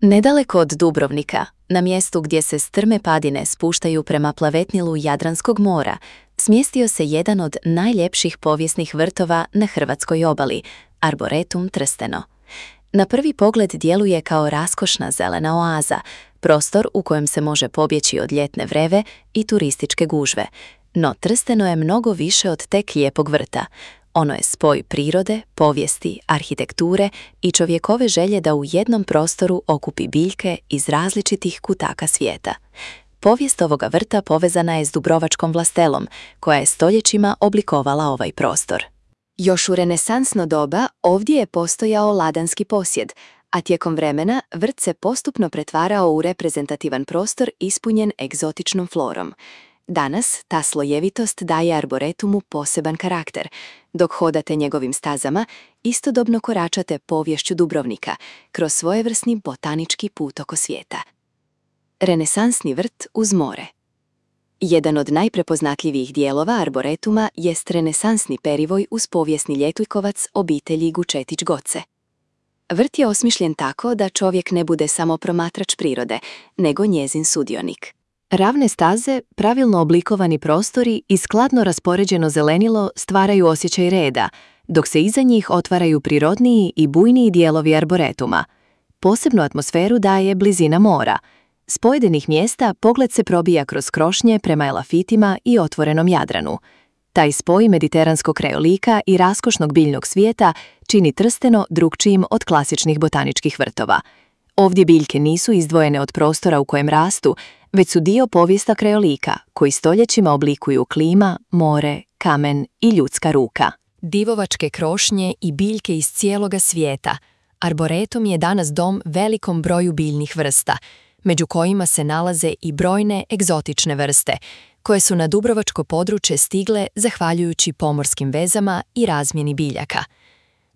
Nedaleko od Dubrovnika, na mjestu gdje se strme padine spuštaju prema plavetnilu Jadranskog mora, smjestio se jedan od najljepših povijesnih vrtova na hrvatskoj obali, Arboretum Trsteno. Na prvi pogled djeluje kao raskošna zelena oaza, prostor u kojem se može pobjeći od ljetne vreve i turističke gužve. No Trsteno je mnogo više od tek lijepog vrta. Ono je spoj prirode, povijesti, arhitekture i čovjekove želje da u jednom prostoru okupi biljke iz različitih kutaka svijeta. Povijest ovoga vrta povezana je s Dubrovačkom vlastelom, koja je stoljećima oblikovala ovaj prostor. Još u renesansno doba ovdje je postojao ladanski posjed, a tijekom vremena vrt se postupno pretvarao u reprezentativan prostor ispunjen egzotičnom florom. Danas ta slojevitost daje arboretumu poseban karakter. Dok hodate njegovim stazama, istodobno koračate poviješću Dubrovnika kroz svojevrsni botanički put oko svijeta. Renesansni vrt uz more. Jedan od najprepoznatljivijih dijelova arboretuma jest renesansni perivoj uz povijesni ljetuljkovac obitelji Gučetić-Goce. Vrt je osmišljen tako da čovjek ne bude samo promatrač prirode, nego njezin sudionik. Ravne staze, pravilno oblikovani prostori i skladno raspoređeno zelenilo stvaraju osjećaj reda, dok se iza njih otvaraju prirodniji i bujniji dijelovi arboretuma. Posebnu atmosferu daje blizina mora. S pojedinih mjesta pogled se probija kroz krošnje prema elafitima i otvorenom Jadranu. Taj spoj mediteranskog krajolika i raskošnog biljnog svijeta čini Trsteno drukčijim od klasičnih botaničkih vrtova. Ovdje biljke nisu izdvojene od prostora u kojem rastu, već su dio povijesta krajolika, koji stoljećima oblikuju klima, more, kamen i ljudska ruka. Divovačke krošnje i biljke iz cijeloga svijeta. Arboretum je danas dom velikom broju biljnih vrsta, među kojima se nalaze i brojne egzotične vrste, koje su na dubrovačko područje stigle zahvaljujući pomorskim vezama i razmjeni biljaka.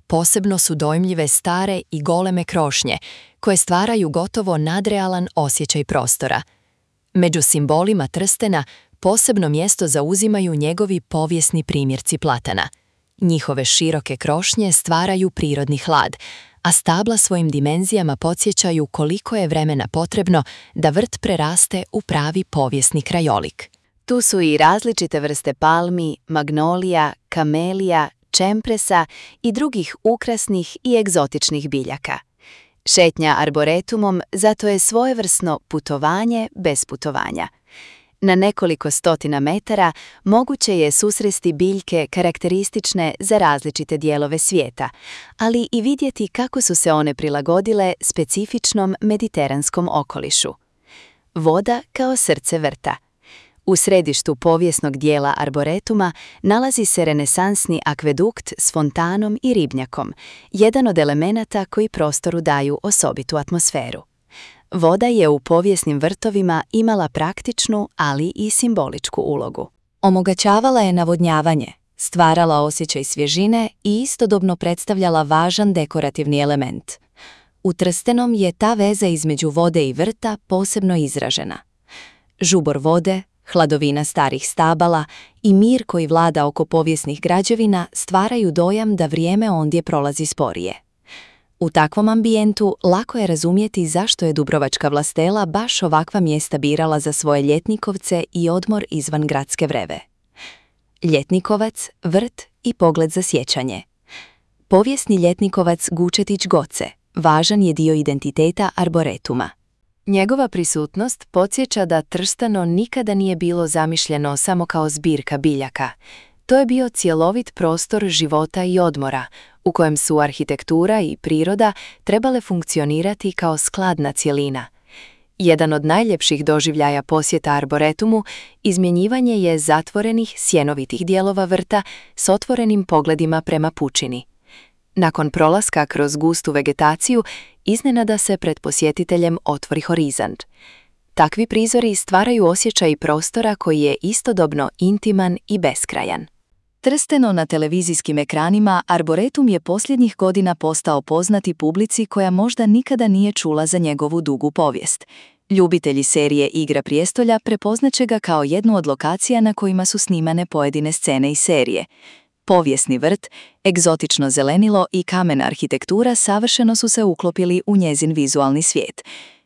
Posebno su dojmljive stare i goleme krošnje, koje stvaraju gotovo nadrealan osjećaj prostora. Među simbolima Trstena posebno mjesto zauzimaju njegovi povijesni primjerci platana. Njihove široke krošnje stvaraju prirodni hlad, a stabla svojim dimenzijama podsjećaju koliko je vremena potrebno da vrt preraste u pravi povijesni krajolik. Tu su i različite vrste palmi, magnolija, kamelija, čempresa i drugih ukrasnih i egzotičnih biljaka. Šetnja arboretumom zato je svojevrsno putovanje bez putovanja. Na nekoliko stotina metara moguće je susresti biljke karakteristične za različite dijelove svijeta, ali i vidjeti kako su se one prilagodile specifičnom mediteranskom okolišu. Voda kao srce vrta. U središtu povijesnog dijela arboretuma nalazi se renesansni akvedukt s fontanom i ribnjakom, jedan od elemenata koji prostoru daju osobitu atmosferu. Voda je u povijesnim vrtovima imala praktičnu, ali i simboličku ulogu. Omogućavala je navodnjavanje, stvarala osjećaj svježine i istodobno predstavljala važan dekorativni element. U Trstenom je ta veza između vode i vrta posebno izražena. Žubor vode, hladovina starih stabala i mir koji vlada oko povijesnih građevina stvaraju dojam da vrijeme ondje prolazi sporije. U takvom ambijentu lako je razumjeti zašto je Dubrovačka vlastela baš ovakva mjesta birala za svoje ljetnikovce i odmor izvan gradske vreve. Ljetnikovac, vrt i pogled za sjećanje. Povijesni ljetnikovac Gučetić-Goce važan je dio identiteta arboretuma. Njegova prisutnost podsjeća da Trsteno nikada nije bilo zamišljeno samo kao zbirka biljaka. To je bio cjelovit prostor života i odmora, u kojem su arhitektura i priroda trebale funkcionirati kao skladna cjelina. Jedan od najljepših doživljaja posjeta arboretumu izmjenjivanje je zatvorenih sjenovitih dijelova vrta s otvorenim pogledima prema pučini. Nakon prolaska kroz gustu vegetaciju, iznenada se pred posjetiteljem otvori horizont. Takvi prizori stvaraju osjećaj prostora koji je istodobno intiman i beskrajan. Trsteno na televizijskim ekranima, arboretum je posljednjih godina postao poznati publici koja možda nikada nije čula za njegovu dugu povijest. Ljubitelji serije Igra prijestolja prepoznaće ga kao jednu od lokacija na kojima su snimane pojedine scene iz serije. Povijesni vrt, egzotično zelenilo i kamena arhitektura savršeno su se uklopili u njezin vizualni svijet.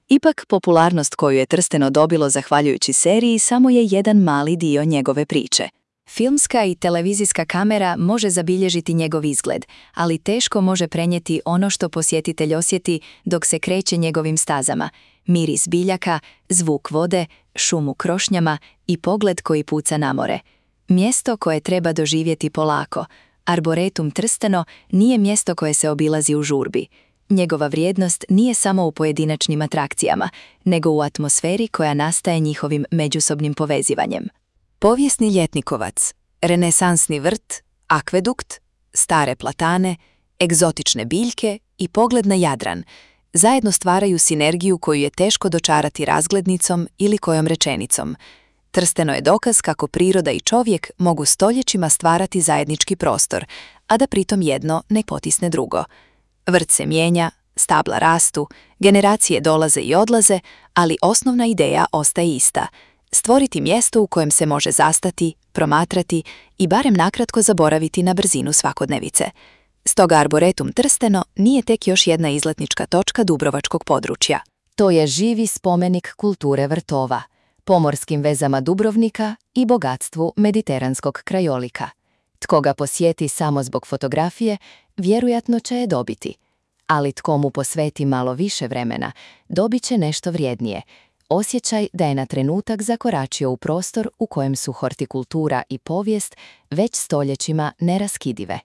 Ipak, popularnost koju je Trsteno dobilo zahvaljujući seriji samo je jedan mali dio njegove priče. Filmska i televizijska kamera može zabilježiti njegov izgled, ali teško može prenijeti ono što posjetitelj osjeti dok se kreće njegovim stazama. Miris biljaka, zvuk vode, šum u krošnjama i pogled koji puca na more. Mjesto koje treba doživjeti polako. Arboretum Trsteno nije mjesto koje se obilazi u žurbi. Njegova vrijednost nije samo u pojedinačnim atrakcijama, nego u atmosferi koja nastaje njihovim međusobnim povezivanjem. Povijesni ljetnikovac, renesansni vrt, akvedukt, stare platane, egzotične biljke i pogled na Jadran zajedno stvaraju sinergiju koju je teško dočarati razglednicom ili kojom rečenicom. Trsteno je dokaz kako priroda i čovjek mogu stoljećima stvarati zajednički prostor, a da pritom jedno ne potisne drugo. Vrt se mijenja, stabla rastu, generacije dolaze i odlaze, ali osnovna ideja ostaje ista – stvoriti mjesto u kojem se može zastati, promatrati i barem nakratko zaboraviti na brzinu svakodnevice. Stoga Arboretum Trsteno nije tek još jedna izletnička točka dubrovačkog područja. To je živi spomenik kulture vrtova, pomorskim vezama Dubrovnika i bogatstvu mediteranskog krajolika. Tko ga posjeti samo zbog fotografije, vjerojatno će je dobiti. Ali tko mu posveti malo više vremena, dobit će nešto vrijednije. Osjećaj da je na trenutak zakoračio u prostor u kojem su hortikultura i povijest već stoljećima neraskidive.